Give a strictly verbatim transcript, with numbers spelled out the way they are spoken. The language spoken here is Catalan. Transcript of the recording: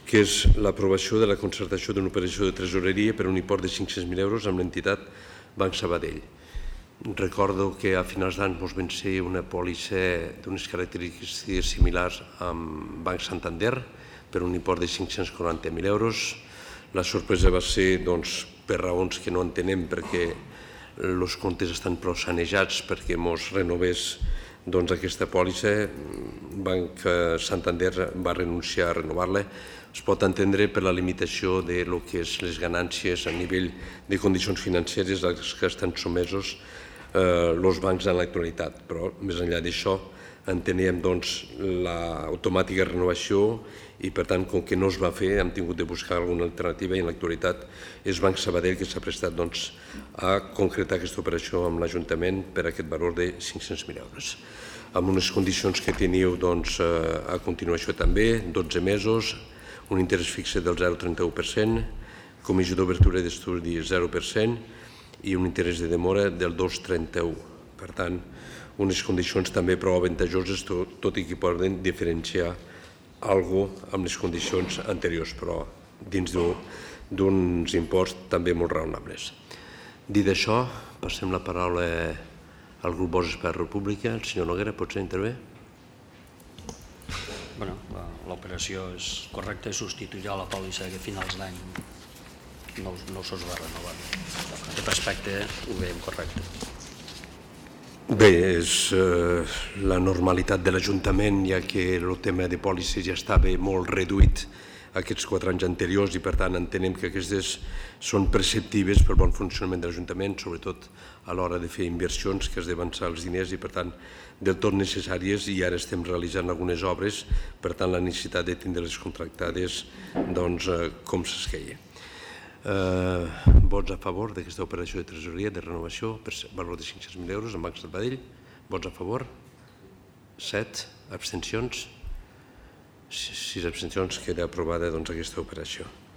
que és l'aprovació de la concertació d'una operació de tresoreria per un import de cinc-cents mil euros amb l'entitat Banc Sabadell. Recordo que a finals d'any ens van ser una pòlissa d'unes característiques similars amb Banc Santander per un import de cinc-cents quaranta mil euros. La sorpresa va ser per raons que no entenem, perquè els comptes estan prou sanejats perquè ens renovés aquesta pòlissa. Banc Santander va renunciar a renovar-la. Es pot entendre per la limitació de lo que és les ganàncies a nivell de condicions financeres als que estan sotmesos els bancs en l'actualitat, però més enllà d'això enteníem l'automàtica renovació i, per tant, com que no es va fer, hem tingut de buscar alguna alternativa i en l'actualitat és Banc Sabadell que s'ha prestat a concretar aquesta operació amb l'Ajuntament per aquest valor de cinc-cents mil euros. Amb unes condicions que teniu a continuació també, dotze mesos, un interès fixe del zero coma trenta-u per cent, comissió d'obertura d'estudi zero per cent i un interès de demora del dos coma trenta-u. Per tant, unes condicions també prou avantajoses, tot i que poden diferenciar alguna cosa amb les condicions anteriors, però dins d'uns imports també molt raonables. Dit això, passem la paraula al grup Vox per República. El senyor Noguera, potser intervé? L'operació és correcta, substituirà la pòlissa que a finals d'any no se'ls va renovar. En aquest aspecte ho veiem correcte. Bé, és la normalitat de l'Ajuntament, ja que el tema de pòlisses ja estava molt reduït aquests quatre anys anteriors i, per tant, entenem que aquestes són perceptives per bon funcionament de l'Ajuntament, sobretot a l'hora de fer inversions, que has d'avançar els diners i, per tant, del tot necessàries, i ara estem realitzant algunes obres, per tant, la necessitat de tindre-les contractades com s'esqueia. Vots a favor d'aquesta operació de tresoreria de renovació per valor de cinc-cents mil euros amb Banc Sabadell? Vots a favor? set. Abstencions? sis abstencions. Queda aprovada aquesta operació.